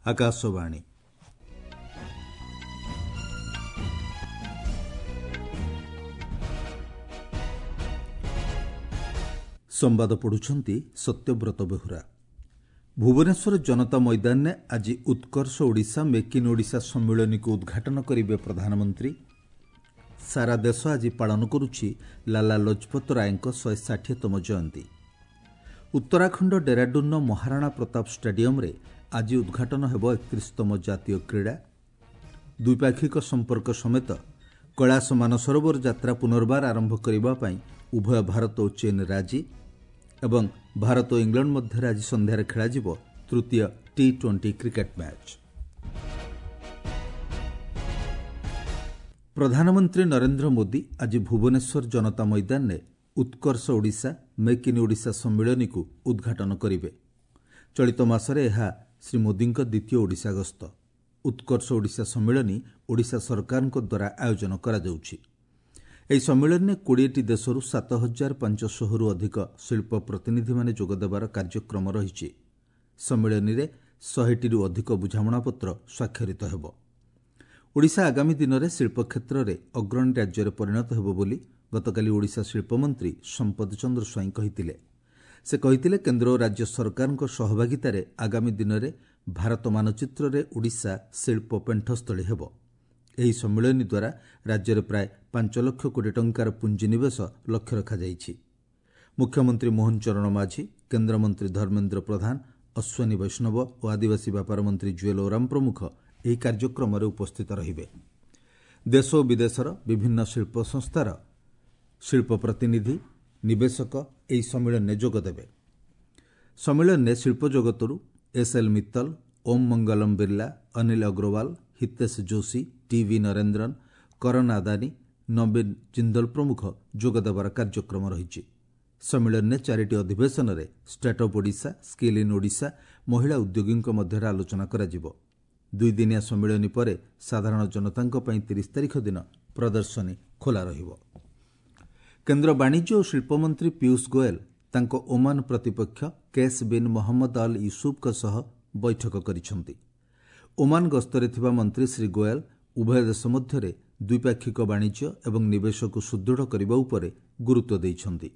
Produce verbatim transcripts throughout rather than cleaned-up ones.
ଆକାଶବାଣୀ। ସମ୍ବାଦ ପଢ଼ୁଛନ୍ତି ସତ୍ୟବ୍ରତ ବେହୁରା। ଭୁବନେଶ୍ୱର ଜନତା ମଇଦାନରେ ଆଜି ଉତ୍କର୍ଷ ଓଡ଼ିଶା ମେକ୍ ଇନ୍ ଓଡ଼ିଶା ସମ୍ମିଳନୀକୁ ଉଦ୍ଘାଟନ କରିବେ ପ୍ରଧାନମନ୍ତ୍ରୀ। ସାରା ଦେଶ ଆଜି ପାଳନ କରୁଛି ଲାଲା ଲଜପତ ରାୟଙ୍କ ଶହେ ଷାଠିଏତମ ଜୟନ୍ତୀ। ଉତ୍ତରାଖଣ୍ଡ ଡେରାଡୁନ୍ର ମହାରାଣା ପ୍ରତାପ ଷ୍ଟାଡିୟମ୍ରେ ଆଜି ଉଦ୍ଘାଟନ ହେବ ଏକତିରିଶତମ ଜାତୀୟ କ୍ରୀଡ଼ା। ଦ୍ୱିପାକ୍ଷିକ ସମ୍ପର୍କ ସମେତ କୈଳାସ ମାନସରୋବର ଯାତ୍ରା ପୁନର୍ବାର ଆରମ୍ଭ କରିବା ପାଇଁ ଉଭୟ ଭାରତ ଓ ଚୀନ୍ ରାଜି ଏବଂ ଭାରତ ଓ ଇଂଲଣ୍ଡ ମଧ୍ୟରେ ଆଜି ସନ୍ଧ୍ୟାରେ ଖେଳାଯିବ ତୃତୀୟ ଟି ଟ୍ୱେଣ୍ଟି କ୍ରିକେଟ୍ ମ୍ୟାଚ୍। ପ୍ରଧାନମନ୍ତ୍ରୀ ନରେନ୍ଦ୍ର ମୋଦି ଆଜି ଭୁବନେଶ୍ୱର ଜନତା ମଇଦାନରେ ଉତ୍କର୍ଷ ଓଡ଼ିଶା ମେକ୍ ଇନ୍ ଓଡ଼ିଶା ସମ୍ମିଳନୀକୁ ଉଦ୍ଘାଟନ କରିବେ। ଚଳିତ ମାସରେ ଏହା ଶ୍ରୀ ମୋଦିଙ୍କ ଦ୍ୱିତୀୟ ଓଡ଼ିଶା ଗସ୍ତ। ଉତ୍କର୍ଷ ଓଡ଼ିଶା ସମ୍ମିଳନୀ ଓଡ଼ିଶା ସରକାରଙ୍କ ଦ୍ୱାରା ଆୟୋଜନ କରାଯାଉଛି। ଏହି ସମ୍ମିଳନୀରେ କୋଡ଼ିଏଟି ଦେଶରୁ ସାତ ହଜାର ପାଞ୍ଚଶହରୁ ଅଧିକ ଶିଳ୍ପ ପ୍ରତିନିଧିମାନେ ଯୋଗଦେବାର କାର୍ଯ୍ୟକ୍ରମ ରହିଛି। ସମ୍ମିଳନୀରେ ଶହେଟିରୁ ଅଧିକ ବୁଝାମଣାପତ୍ର ସ୍ୱାକ୍ଷରିତ ହେବ। ଓଡ଼ିଶା ଆଗାମୀ ଦିନରେ ଶିଳ୍ପ କ୍ଷେତ୍ରରେ ଅଗ୍ରଣୀ ରାଜ୍ୟରେ ପରିଣତ ହେବ ବୋଲି ଗତକାଲି ଓଡ଼ିଶା ଶିଳ୍ପମନ୍ତ୍ରୀ ସମ୍ପଦ ଚନ୍ଦ୍ର ସ୍ୱାଇଁ କହିଥିଲେ। ସେ କହିଥିଲେ, କେନ୍ଦ୍ର ଓ ରାଜ୍ୟ ସରକାରଙ୍କ ସହଭାଗିତାରେ ଆଗାମୀ ଦିନରେ ଭାରତ ମାନଚିତ୍ରରେ ଓଡ଼ିଶା ଶିଳ୍ପ ପେଣ୍ଠସ୍ଥଳୀ ହେବ। ଏହି ସମ୍ମିଳନୀ ଦ୍ୱାରା ରାଜ୍ୟରେ ପ୍ରାୟ ପାଞ୍ଚ ଲକ୍ଷ କୋଟି ଟଙ୍କାର ପୁଞ୍ଜିନିବେଶ ଲକ୍ଷ୍ୟ ରଖାଯାଇଛି। ମୁଖ୍ୟମନ୍ତ୍ରୀ ମୋହନ ଚରଣ ମାଝୀ, କେନ୍ଦ୍ରମନ୍ତ୍ରୀ ଧର୍ମେନ୍ଦ୍ର ପ୍ରଧାନ, ଅଶ୍ୱିନୀ ବୈଷ୍ଣବ ଓ ଆଦିବାସୀ ବ୍ୟାପାର ମନ୍ତ୍ରୀ ଜୁଏଲ ଓରାମ ପ୍ରମୁଖ ଏହି କାର୍ଯ୍ୟକ୍ରମରେ ଉପସ୍ଥିତ ରହିବେ। ଦେଶ ଓ ବିଦେଶର ବିଭିନ୍ନ ଶିଳ୍ପ ସଂସ୍ଥାର ଶିଳ୍ପ ପ୍ରତିନିଧି, ନିବେଶକ ଏହି ସମ୍ମିଳନୀରେ ଯୋଗଦେବେ। ସମ୍ମିଳନୀରେ ଶିଳ୍ପ ଜଗତରୁ ଏସ୍ ଏଲ୍ ମିତ୍ତଲ, ଓମ୍ ମଙ୍ଗଲମ ବିର୍ଲା, ଅନିଲ ଅଗ୍ରୱାଲ, ହିତେଶ ଯୋଶୀ, ଟି ଭି ନରେନ୍ଦ୍ରନ, କରନ ଆଦାନୀ, ନବୀନ ଜିନ୍ଦଲ ପ୍ରମୁଖ ଯୋଗଦେବାର କାର୍ଯ୍ୟକ୍ରମ ରହିଛି। ସମ୍ମିଳନୀରେ ଚାରିଟି ଅଧିବେଶନରେ startup Odisha, skill in Odisha, ମହିଳା ଉଦ୍ୟୋଗୀଙ୍କ ମଧ୍ୟରେ ଆଲୋଚନା କରାଯିବ। ଦୁଇଦିନିଆ ସମ୍ମିଳନୀ ପରେ ସାଧାରଣ ଜନତାଙ୍କ ପାଇଁ ତିରିଶ ତାରିଖ ଦିନ ପ୍ରଦର୍ଶନୀ ଖୋଲା ରହିବ। କେନ୍ଦ୍ର ବାଣିଜ୍ୟ ଓ ଶିଳ୍ପମନ୍ତ୍ରୀ ପୀୟୁଷ ଗୋଏଲ ତାଙ୍କ ଓମାନ ପ୍ରତିପକ୍ଷ କେସ୍ ବିନ୍ ମହମ୍ମଦ ଅଲ୍ ୟୁସୁଫଙ୍କ ସହ ବୈଠକ କରିଛନ୍ତି। ଓମାନ ଗସ୍ତରେ ଥିବା ମନ୍ତ୍ରୀ ଶ୍ରୀ ଗୋଏଲ ଉଭୟ ଦେଶ ମଧ୍ୟରେ ଦ୍ୱିପାକ୍ଷିକ ବାଣିଜ୍ୟ ଏବଂ ନିବେଶକୁ ସୁଦୃଢ଼ କରିବା ଉପରେ ଗୁରୁତ୍ୱ ଦେଇଛନ୍ତି।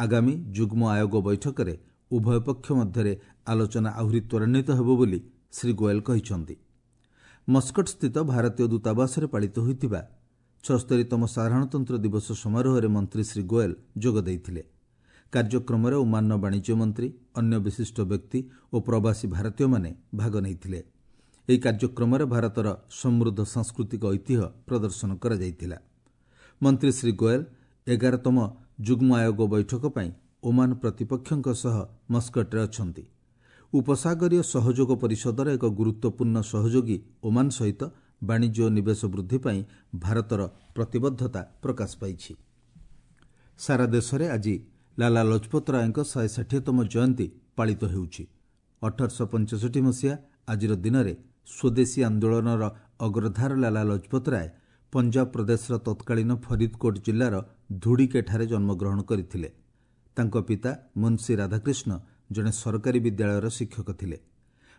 ଆଗାମୀ ଯୁଗ୍ମ ଆୟୋଗ ବୈଠକରେ ଉଭୟ ପକ୍ଷ ମଧ୍ୟରେ ଆଲୋଚନା ଆହୁରି ତ୍ୱରାନ୍ୱିତ ହେବ ବୋଲି ଶ୍ରୀ ଗୋଏଲ କହିଛନ୍ତି। ମସ୍କଟସ୍ଥିତ ଭାରତୀୟ ଦୂତାବାସରେ ପାଳିତ ହୋଇଥିବା ଛଅସ୍ତରୀତମ ସାଧାରଣତନ୍ତ୍ର ଦିବସ ସମାରୋହରେ ମନ୍ତ୍ରୀ ଶ୍ରୀ ଗୋଏଲ ଯୋଗ ଦେଇଥିଲେ। କାର୍ଯ୍ୟକ୍ରମରେ ଓମାନର ବାଣିଜ୍ୟ ମନ୍ତ୍ରୀ, ଅନ୍ୟ ବିଶିଷ୍ଟ ବ୍ୟକ୍ତି ଓ ପ୍ରବାସୀ ଭାରତୀୟମାନେ ଭାଗ ନେଇଥିଲେ। ଏହି କାର୍ଯ୍ୟକ୍ରମରେ ଭାରତର ସମୃଦ୍ଧ ସାଂସ୍କୃତିକ ଐତିହ୍ୟ ପ୍ରଦର୍ଶନ କରାଯାଇଥିଲା। ମନ୍ତ୍ରୀ ଶ୍ରୀ ଗୋଏଲ ଏଗାରତମ ଯୁଗ୍ମ ଆୟୋଗ ବୈଠକ ପାଇଁ ଓମାନ ପ୍ରତିପକ୍ଷଙ୍କ ସହ ମସ୍କଟରେ ଅଛନ୍ତି। ଉପସାଗରୀୟ ସହଯୋଗ ପରିଷଦର ଏକ ଗୁରୁତ୍ୱପୂର୍ଣ୍ଣ ସହଯୋଗୀ ଓମାନ ସହିତ ବାଣିଜ୍ୟ ଓ ନିବେଶ ବୃଦ୍ଧି ପାଇଁ ଭାରତର ପ୍ରତିବଦ୍ଧତା ପ୍ରକାଶ ପାଇଛି। ସାରା ଦେଶରେ ଆଜି ଲାଲା ଲଜପତ ରାୟଙ୍କ ଶହେ ଷାଠିଏତମ ଜୟନ୍ତୀ ପାଳିତ ହେଉଛି। ଅଠରଶହ ପଞ୍ଚଷଠି ମସିହା ଆଜିର ଦିନରେ ସ୍ୱଦେଶୀ ଆନ୍ଦୋଳନର ଅଗ୍ରଧାର ଲାଲା ଲଜପତ ରାୟ ପଞ୍ଜାବ ପ୍ରଦେଶର ତତ୍କାଳୀନ ଫରିଦକୋଟ ଜିଲ୍ଲାର ଧୁଡ଼ିକେଠାରେ ଜନ୍ମଗ୍ରହଣ କରିଥିଲେ। ତାଙ୍କ ପିତା ମୁନ୍ସି ରାଧାକୃଷ୍ଣ ଜଣେ ସରକାରୀ ବିଦ୍ୟାଳୟର ଶିକ୍ଷକ ଥିଲେ।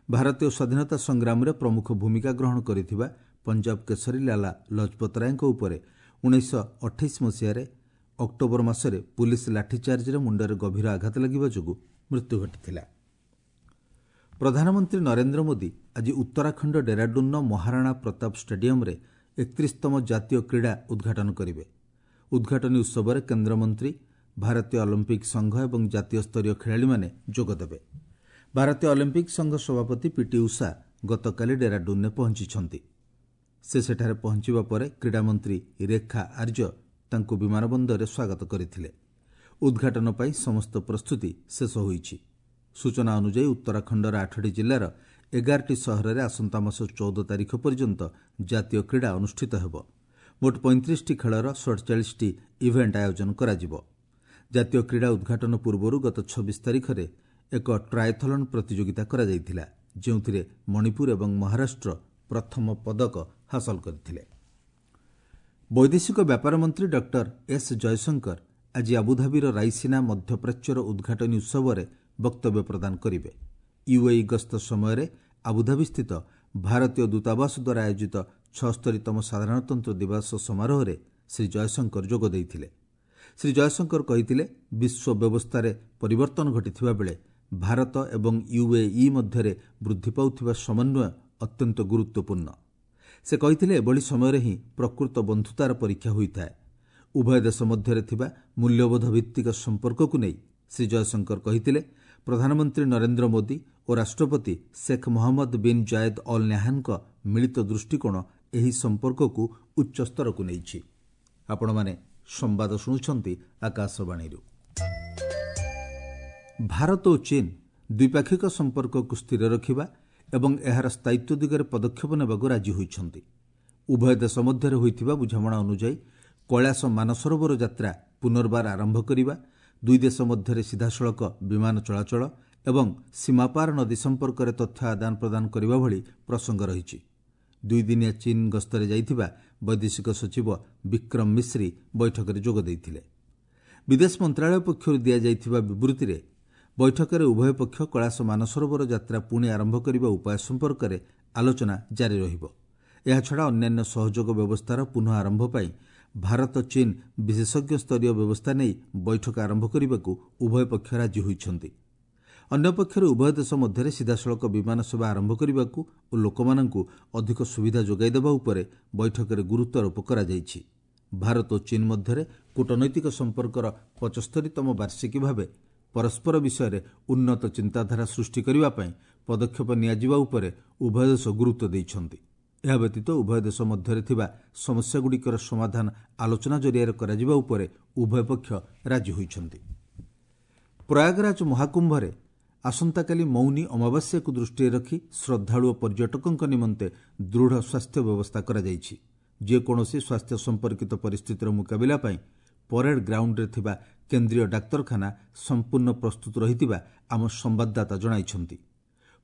ଭାରତୀୟ ସ୍ୱାଧୀନତା ସଂଗ୍ରାମରେ ପ୍ରମୁଖ ଭୂମିକା ଗ୍ରହଣ କରିଥିବା ପଞ୍ଜାବ କେଶରୀ ଲାଲା ଲଜପତ ରାୟଙ୍କ ଉପରେ ଉଣେଇଶହ ଅଠେଇଶ ମସିହାରେ ଅକ୍ଟୋବର ମାସରେ ପୁଲିସ ଲାଠିଚାର୍ଜରେ ମୁଣ୍ଡରେ ଗଭୀର ଆଘାତ ଲାଗିବା ଯୋଗୁଁ ମୃତ୍ୟୁ ଘଟିଥିଲା। ପ୍ରଧାନମନ୍ତ୍ରୀ ନରେନ୍ଦ୍ର ମୋଦି ଆଜି ଉତ୍ତରାଖଣ୍ଡ ଡେରାଡୁନ୍ର ମହାରାଣା ପ୍ରତାପ ଷ୍ଟାଡିୟମ୍ରେ ଏକତିରିଶତମ ଜାତୀୟ କ୍ରୀଡ଼ା ଉଦ୍ଘାଟନ କରିବେ। ଉଦ୍ଘାଟନୀ ଉତ୍ସବରେ କେନ୍ଦ୍ରମନ୍ତ୍ରୀ, ଭାରତୀୟ ଅଲିମ୍ପିକ୍ ସଂଘ ଏବଂ ଜାତୀୟ ସ୍ତରୀୟ ଖେଳାଳିମାନେ ଯୋଗଦେବେ। ଭାରତୀୟ ଅଲିମ୍ପିକ୍ ସଂଘ ସଭାପତି ପିଟି ଉଷା ଗତକାଲି ଡେରାଡୁନ୍ରେ ପହଞ୍ଚିଛନ୍ତି। ସେ ସେଠାରେ ପହଞ୍ଚିବା ପରେ କ୍ରୀଡ଼ାମନ୍ତ୍ରୀ ରେଖା ଆର୍ଯ୍ୟ ତାଙ୍କୁ ବିମାନ ବନ୍ଦରରେ ସ୍ୱାଗତ କରିଥିଲେ। ଉଦ୍ଘାଟନ ପାଇଁ ସମସ୍ତ ପ୍ରସ୍ତୁତି ଶେଷ ହୋଇଛି। ସୂଚନା ଅନୁଯାୟୀ ଉତ୍ତରାଖଣ୍ଡର ଆଠଟି ଜିଲ୍ଲାର ଏଗାରଟି ସହରରେ ଆସନ୍ତା ମାସ ଚଉଦ ତାରିଖ ପର୍ଯ୍ୟନ୍ତ ଜାତୀୟ କ୍ରୀଡ଼ା ଅନୁଷ୍ଠିତ ହେବ। ମୋଟ ପଇଁତିରିଶଟି ଖେଳର ସଡ଼ଚାଳିଶଟି ଇଭେଣ୍ଟ ଆୟୋଜନ କରାଯିବ। ଜାତୀୟ କ୍ରୀଡ଼ା ଉଦ୍ଘାଟନ ପୂର୍ବରୁ ଗତ ଛବିଶ ତାରିଖରେ ଏକ ଟ୍ରାଏଥଲନ୍ ପ୍ରତିଯୋଗିତା କରାଯାଇଥିଲା, ଯେଉଁଥିରେ ମଣିପୁର ଏବଂ ମହାରାଷ୍ଟ୍ର ପ୍ରଥମ ପଦକ ହାସଲ କରିଥିଲେ। ବୈଦେଶିକ ବ୍ୟାପାର ମନ୍ତ୍ରୀ ଡକ୍ଟର ଏସ୍ ଜୟଶଙ୍କର ଆଜି ଆବୁଧାବିର ରାଇସିନା ମଧ୍ୟପ୍ରାଚ୍ୟର ଉଦ୍ଘାଟନୀ ଉତ୍ସବରେ ବକ୍ତବ୍ୟ ପ୍ରଦାନ କରିବେ। ୟୁଏଇ ଗସ୍ତ ସମୟରେ ଆବୁଧାବିସ୍ଥିତ ଭାରତୀୟ ଦୂତାବାସ ଦ୍ୱାରା ଆୟୋଜିତ ଛଅସ୍ତରୀତମ ସାଧାରଣତନ୍ତ୍ର ଦିବସ ସମାରୋହରେ ଶ୍ରୀ ଜୟଶଙ୍କର ଯୋଗ ଦେଇଥିଲେ। ଶ୍ରୀ ଜୟଶଙ୍କର କହିଥିଲେ, ବିଶ୍ୱ ବ୍ୟବସ୍ଥାରେ ପରିବର୍ତ୍ତନ ଘଟିଥିବା ବେଳେ ଭାରତ ଏବଂ ୟୁଏଇ ମଧ୍ୟରେ ବୃଦ୍ଧି ପାଉଥିବା ସମନ୍ୱୟ ଅତ୍ୟନ୍ତ ଗୁରୁତ୍ୱପୂର୍ଣ୍ଣ। ସେ କହିଥିଲେ, ଏଭଳି ସମୟରେ ହିଁ ପ୍ରକୃତ ବନ୍ଧୁତାର ପରୀକ୍ଷା ହୋଇଥାଏ। ଉଭୟ ଦେଶ ମଧ୍ୟରେ ଥିବା ମୂଲ୍ୟବୋଧ ଭିତ୍ତିକ ସମ୍ପର୍କକୁ ନେଇ ଶ୍ରୀ ଜୟଶଙ୍କର କହିଥିଲେ, ପ୍ରଧାନମନ୍ତ୍ରୀ ନରେନ୍ଦ୍ର ମୋଦି ଓ ରାଷ୍ଟ୍ରପତି Sheikh Mohammed bin Zayed Al ନାହ୍ୟାନ୍ଙ୍କ ମିଳିତ ଦୃଷ୍ଟିକୋଣ ଏହି ସମ୍ପର୍କକୁ ଉଚ୍ଚସ୍ତରକୁ ନେଇଛି। ଆପଣମାନେ ସମ୍ବାଦ ଶୁଣୁଛନ୍ତି ଆକାଶବାଣୀରୁ। ଭାରତ ଓ ଚୀନ୍ ଦ୍ୱିପାକ୍ଷିକ ସମ୍ପର୍କକୁ ସ୍ଥିର ରଖିବା ଏବଂ ଏହାର ସ୍ଥାୟିତ୍ୱ ଦିଗରେ ପଦକ୍ଷେପ ନେବାକୁ ରାଜି ହୋଇଛନ୍ତି। ଉଭୟ ଦେଶ ମଧ୍ୟରେ ହୋଇଥିବା ବୁଝାମଣା ଅନୁଯାୟୀ କୈଳାସ ମାନସରୋବର ଯାତ୍ରା ପୁନର୍ବାର ଆରମ୍ଭ କରିବା, ଦୁଇ ଦେଶ ମଧ୍ୟରେ ସିଧାସଳଖ ବିମାନ ଚଳାଚଳ ଏବଂ ସୀମାପାର ନଦୀ ସମ୍ପର୍କରେ ତଥ୍ୟ ଆଦାନ ପ୍ରଦାନ କରିବା ଭଳି ପ୍ରସଙ୍ଗ ରହିଛି। ଦୁଇଦିନିଆ ଚୀନ୍ ଗସ୍ତରେ ଯାଇଥିବା ବୈଦେଶିକ ସଚିବ ବିକ୍ରମ ମିଶ୍ରି ବୈଠକରେ ଯୋଗ ଦେଇଥିଲେ। ବିଦେଶ ମନ୍ତ୍ରାଳୟ ପକ୍ଷରୁ ଦିଆଯାଇଥିବା ବିବୃତ୍ତିରେ ବୈଠକରେ ଉଭୟ ପକ୍ଷ କୈଳାସ ମାନସରୋବର ଯାତ୍ରା ପୁଣି ଆରମ୍ଭ କରିବା ଉପାୟ ସମ୍ପର୍କରେ ଆଲୋଚନା ଜାରି ରହିବ। ଏହାଛଡ଼ା ଅନ୍ୟାନ୍ୟ ସହଯୋଗ ବ୍ୟବସ୍ଥାର ପୁନଃ ଆରମ୍ଭ ପାଇଁ ଭାରତ ଚୀନ୍ ବିଶେଷଜ୍ଞ ସ୍ତରୀୟ ବ୍ୟବସ୍ଥା ନେଇ ବୈଠକ ଆରମ୍ଭ କରିବାକୁ ଉଭୟ ପକ୍ଷ ରାଜି ହୋଇଛନ୍ତି। ଅନ୍ୟପକ୍ଷରେ ଉଭୟ ଦେଶ ମଧ୍ୟରେ ସିଧାସଳଖ ବିମାନ ସେବା ଆରମ୍ଭ କରିବାକୁ ଓ ଲୋକମାନଙ୍କୁ ଅଧିକ ସୁବିଧା ଯୋଗାଇ ଦେବା ଉପରେ ବୈଠକରେ ଗୁରୁତ୍ୱାରୋପ କରାଯାଇଛି। ଭାରତ ଓ ଚୀନ୍ ମଧ୍ୟରେ କୂଟନୈତିକ ସମ୍ପର୍କର ପଚସ୍ତରୀତମ ବାର୍ଷିକୀ ଭାବେ ପରସ୍ପର ବିଷୟରେ ଉନ୍ନତ ଚିନ୍ତାଧାରା ସୃଷ୍ଟି କରିବା ପାଇଁ ପଦକ୍ଷେପ ନିଆଯିବା ଉପରେ ଉଭୟ ଦେଶ ଗୁରୁତ୍ୱ ଦେଇଛନ୍ତି। ଏହା ବ୍ୟତୀତ ଉଭୟ ଦେଶ ମଧ୍ୟରେ ଥିବା ସମସ୍ୟାଗୁଡ଼ିକର ସମାଧାନ ଆଲୋଚନା ଜରିଆରେ କରାଯିବା ଉପରେ ଉଭୟ ପକ୍ଷ ରାଜି ହୋଇଛନ୍ତି। ପ୍ରୟାଗରାଜ ମହାକୁମ୍ଭରେ ଆସନ୍ତାକାଲି ମୌନି ଅମାବାସ୍ୟାକୁ ଦୃଷ୍ଟିରେ ରଖି ଶ୍ରଦ୍ଧାଳୁ ଓ ପର୍ଯ୍ୟଟକଙ୍କ ନିମନ୍ତେ ଦୃଢ଼ ସ୍ୱାସ୍ଥ୍ୟ ବ୍ୟବସ୍ଥା କରାଯାଇଛି। ଯେକୌଣସି ସ୍ୱାସ୍ଥ୍ୟ ସମ୍ପର୍କିତ ପରିସ୍ଥିତିର ମୁକାବିଲା ପାଇଁ ପରେଡ୍ ଗ୍ରାଉଣ୍ଡରେ ଥିବା କେନ୍ଦ୍ରୀୟ ଡାକ୍ତରଖାନା ସମ୍ପୂର୍ଣ୍ଣ ପ୍ରସ୍ତୁତ ରହିଥିବା ଆମ ସମ୍ବାଦଦାତା ଜଣାଇଛନ୍ତି।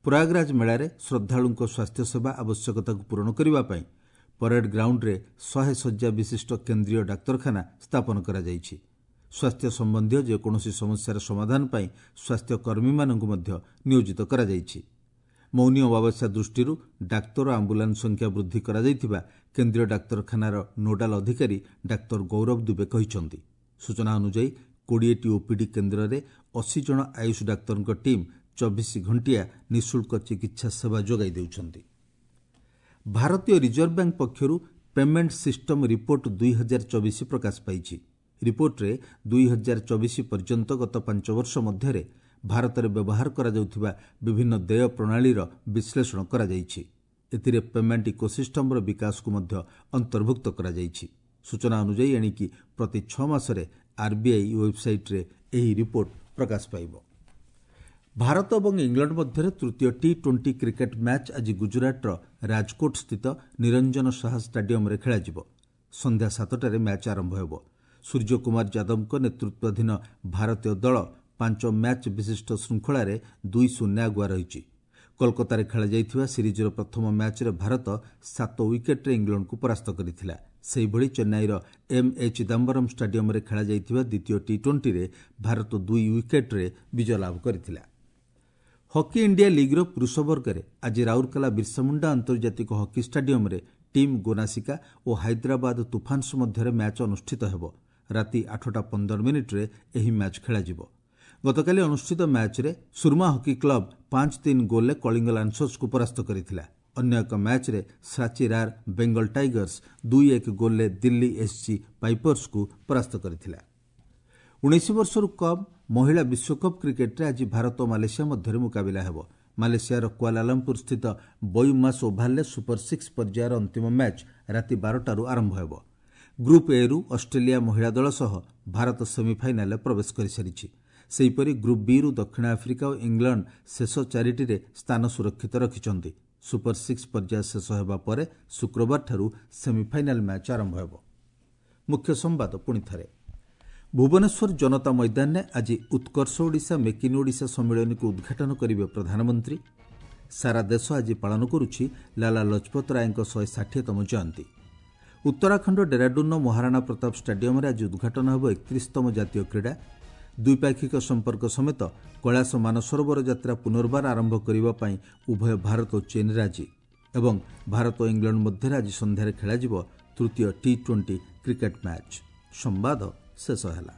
ପ୍ରୟାଗରାଜ ମେଳାରେ ଶ୍ରଦ୍ଧାଳୁଙ୍କ ସ୍ୱାସ୍ଥ୍ୟସେବା ଆବଶ୍ୟକତାକୁ ପୂରଣ କରିବା ପାଇଁ ପରେଡ୍ ଗ୍ରାଉଣ୍ଡରେ ଶହେ ଶଯ୍ୟା ବିଶିଷ୍ଟ କେନ୍ଦ୍ରୀୟ ଡାକ୍ତରଖାନା ସ୍ଥାପନ କରାଯାଇଛି। ସ୍ୱାସ୍ଥ୍ୟ ସମ୍ବନ୍ଧୀୟ ଯେକୌଣସି ସମସ୍ୟାର ସମାଧାନ ପାଇଁ ସ୍ୱାସ୍ଥ୍ୟକର୍ମୀମାନଙ୍କୁ ମଧ୍ୟ ନିୟୋଜିତ କରାଯାଇଛି। ମୌନି ଅମାବାସ୍ୟା ଦୃଷ୍ଟିରୁ ଡାକ୍ତର ଓ ଆମ୍ବୁଲାନ୍ସ ସଂଖ୍ୟା ବୃଦ୍ଧି କରାଯାଇଥିବା କେନ୍ଦ୍ରୀୟ ଡାକ୍ତରଖାନାର ନୋଡାଲ ଅଧିକାରୀ ଡାକ୍ତର ଗୌରବ ଦୁବେ କହିଛନ୍ତି। ସୂଚନା ଅନୁଯାୟୀ କୋଡ଼ିଏଟି ଓପିଡି କେନ୍ଦ୍ରରେ ଅଶୀ ଜଣ ଆୟୁଷ ଡାକ୍ତରଙ୍କ ଟିମ୍ ଚବିଶ ଘଣ୍ଟିଆ ନିଃଶୁଳ୍କ ଚିକିତ୍ସା ସେବା ଯୋଗାଇ ଦେଉଛନ୍ତି। ଭାରତୀୟ ରିଜର୍ଭ ବ୍ୟାଙ୍କ ପକ୍ଷରୁ ପେମେଣ୍ଟ ସିଷ୍ଟମ ରିପୋର୍ଟ ଦୁଇ ହଜାର ଚବିଶ ପ୍ରକାଶ ପାଇଛି। ରିପୋର୍ଟରେ ଦୁଇ ହଜାର ଚବିଶ ପର୍ଯ୍ୟନ୍ତ ଗତ ପାଞ୍ଚ ବର୍ଷ ମଧ୍ୟରେ ଭାରତରେ ବ୍ୟବହାର କରାଯାଉଥିବା ବିଭିନ୍ନ ଦେୟ ପ୍ରଣାଳୀର ବିଶ୍ଳେଷଣ କରାଯାଇଛି। ଏଥିରେ ପେମେଣ୍ଟ ଇକୋସିଷ୍ଟମର ବିକାଶକୁ ମଧ୍ୟ ଅନ୍ତର୍ଭୁକ୍ତ କରାଯାଇଛି। ସୂଚନା ଅନୁଯାୟୀ ଏଣିକି ପ୍ରତି ଛଅ ମାସରେ ଆର୍ବିଆଇ ୱେବ୍ସାଇଟ୍ରେ ଏହି ରିପୋର୍ଟ ପ୍ରକାଶ ପାଇବ। ଭାରତ ଏବଂ ଇଂଲଣ୍ଡ ମଧ୍ୟରେ ତୃତୀୟ ଟି ଟ୍ୱେଣ୍ଟି କ୍ରିକେଟ୍ ମ୍ୟାଚ୍ ଆଜି ଗୁଜରାଟର ରାଜକୋଟ ସ୍ଥିତ ନିରଞ୍ଜନ ଶାହା ଷ୍ଟାଡିୟମରେ ଖେଳାଯିବ। ସନ୍ଧ୍ୟା ସାତଟାରେ ମ୍ୟାଚ୍ ଆରମ୍ଭ ହେବ। ସୂର୍ଯ୍ୟକୁମାର ଯାଦବଙ୍କ ନେତୃତ୍ୱାଧୀନ ଭାରତୀୟ ଦଳ ପାଞ୍ଚ ମ୍ୟାଚ୍ ବିଶିଷ୍ଟ ଶୃଙ୍ଖଳାରେ ଦୁଇ ଶୂନ୍ୟ ଆଗୁଆ ରହିଛି। କୋଲକାତାରେ ଖେଳାଯାଇଥିବା ସିରିଜ୍ର ପ୍ରଥମ ମ୍ୟାଚ୍ରେ ଭାରତ ସାତ ୱିକେଟ୍ରେ ଇଂଲଣ୍ଡକୁ ପରାସ୍ତ କରିଥିଲା। ସେହିଭଳି ଚେନ୍ନାଇର ଏମ୍ ଏ ଚିଦାମ୍ବରମ୍ ଷ୍ଟାଡିୟମରେ ଖେଳାଯାଇଥିବା ଦ୍ୱିତୀୟ ଟି ଟ୍ୱେଣ୍ଟିରେ ଭାରତ ଦୁଇ ୱିକେଟ୍ରେ ବିଜୟ ଲାଭ କରିଥିଲା। ହକି ଇଣ୍ଡିଆ ଲିଗ୍ର ପୁରୁଷ ବର୍ଗରେ ଆଜି ରାଉରକେଲା ବିର୍ସାମୁଣ୍ଡା ଆନ୍ତର୍ଜାତିକ ହକି ଷ୍ଟାଡିୟମରେ ଟିମ୍ ଗୋନାସିକା ଓ ହାଇଦ୍ରାବାଦ ତୁଫାନ୍ସ ମଧ୍ୟରେ ମ୍ୟାଚ୍ ଅନୁଷ୍ଠିତ ହେବ। ରାତି ଆଠଟା ପନ୍ଦର ମିନିଟ୍ରେ ଏହି ମ୍ୟାଚ୍ ଖେଳାଯିବ। ଗତକାଲି ଅନୁଷ୍ଠିତ ମ୍ୟାଚ୍ରେ ସୁରମା ହକି କ୍ଲବ ପାଞ୍ଚ ତିନି ଗୋଲ୍ରେ କଳିଙ୍ଗ ଲାନ୍ସର୍ସକୁ ପରାସ୍ତ କରିଥିଲା। ଅନ୍ୟ ଏକ ମ୍ୟାଚ୍ରେ ସାଚି ରାର୍ ବେଙ୍ଗଲ ଟାଇଗର୍ସ ଦୁଇ ଏକ ଗୋଲ୍ରେ ଦିଲ୍ଲୀ ଏସ୍ଜି ପାଇପର୍ସକୁ ପରାସ୍ତ କରିଥିଲା। ଉଣେଇଶ ବର୍ଷରୁ କମ୍ ମହିଳା ବିଶ୍ୱକପ୍ କ୍ରିକେଟ୍ରେ ଆଜି ଭାରତ ଓ ମାଲେସିଆ ମଧ୍ୟରେ ମୁକାବିଲା ହେବ। ମାଲେସିଆର କୁଆଲାଲମ୍ପୁର ସ୍ଥିତ ବୟୁମାସ୍ ଓଭାଲରେ ସୁପର ସିକ୍ସ ପର୍ଯ୍ୟାୟର ଅନ୍ତିମ ମ୍ୟାଚ୍ ରାତି ବାରଟାରୁ ଆରମ୍ଭ ହେବ। ଗ୍ରୁପ୍ ଏରୁ ଅଷ୍ଟ୍ରେଲିଆ ମହିଳା ଦଳ ସହ ଭାରତ ସେମିଫାଇନାଲରେ ପ୍ରବେଶ କରିସାରିଛି। ସେହିପରି ଗ୍ରୁପ୍ ବିରୁ ଦକ୍ଷିଣ ଆଫ୍ରିକା ଓ ଇଂଲଣ୍ଡ ଶେଷ ଚାରିଟିରେ ସ୍ଥାନ ସୁରକ୍ଷିତ ରଖିଛନ୍ତି। ସୁପର ସିକ୍ସ ପର୍ଯ୍ୟାୟ ଶେଷ ହେବା ପରେ ଶୁକ୍ରବାରଠାରୁ ସେମିଫାଇନାଲ ମ୍ୟାଚ୍ ଆରମ୍ଭ ହେବ। ମୁଖ୍ୟ ସମ୍ବାଦ ପୁଣି ଥରେ। ଭୁବନେଶ୍ୱର ଜନତା ମଇଦାନରେ ଆଜି ଉତ୍କର୍ଷ ଓଡ଼ିଶା ମେକ୍ ଇନ୍ ଓଡ଼ିଶା ସମ୍ମିଳନୀକୁ ଉଦ୍ଘାଟନ କରିବେ ପ୍ରଧାନମନ୍ତ୍ରୀ। ସାରା ଦେଶ ଆଜି ପାଳନ କରୁଛି ଲାଲା ଲଜପତ ରାୟଙ୍କ ଶହେ ଷାଠିଏତମ ଜୟନ୍ତୀ। ଉତ୍ତରାଖଣ୍ଡ ଡେରାଡୁନ୍ର ମହାରାଣା ପ୍ରତାପ ଷ୍ଟାଡିୟମରେ ଆଜି ଉଦ୍ଘାଟନ ହେବ ଏକତିରିଶତମ ଜାତୀୟ କ୍ରୀଡ଼ା। ଦ୍ୱିପାକ୍ଷିକ ସମ୍ପର୍କ ସମେତ କୈଳାସ ମାନସରୋବର ଯାତ୍ରା ପୁନର୍ବାର ଆରମ୍ଭ କରିବା ପାଇଁ ଉଭୟ ଭାରତ ଓ ଚୀନ୍ ରାଜି ଏବଂ ଭାରତ ଓ ଇଂଲଣ୍ଡ ମଧ୍ୟରେ ଆଜି ସନ୍ଧ୍ୟାରେ ଖେଳାଯିବ ତୃତୀୟ ଟି ଟ୍ୱେଣ୍ଟି କ୍ରିକେଟ୍ ମ୍ୟାଚ୍। ସମ୍ବାଦ ଶେଷ ହେଲା।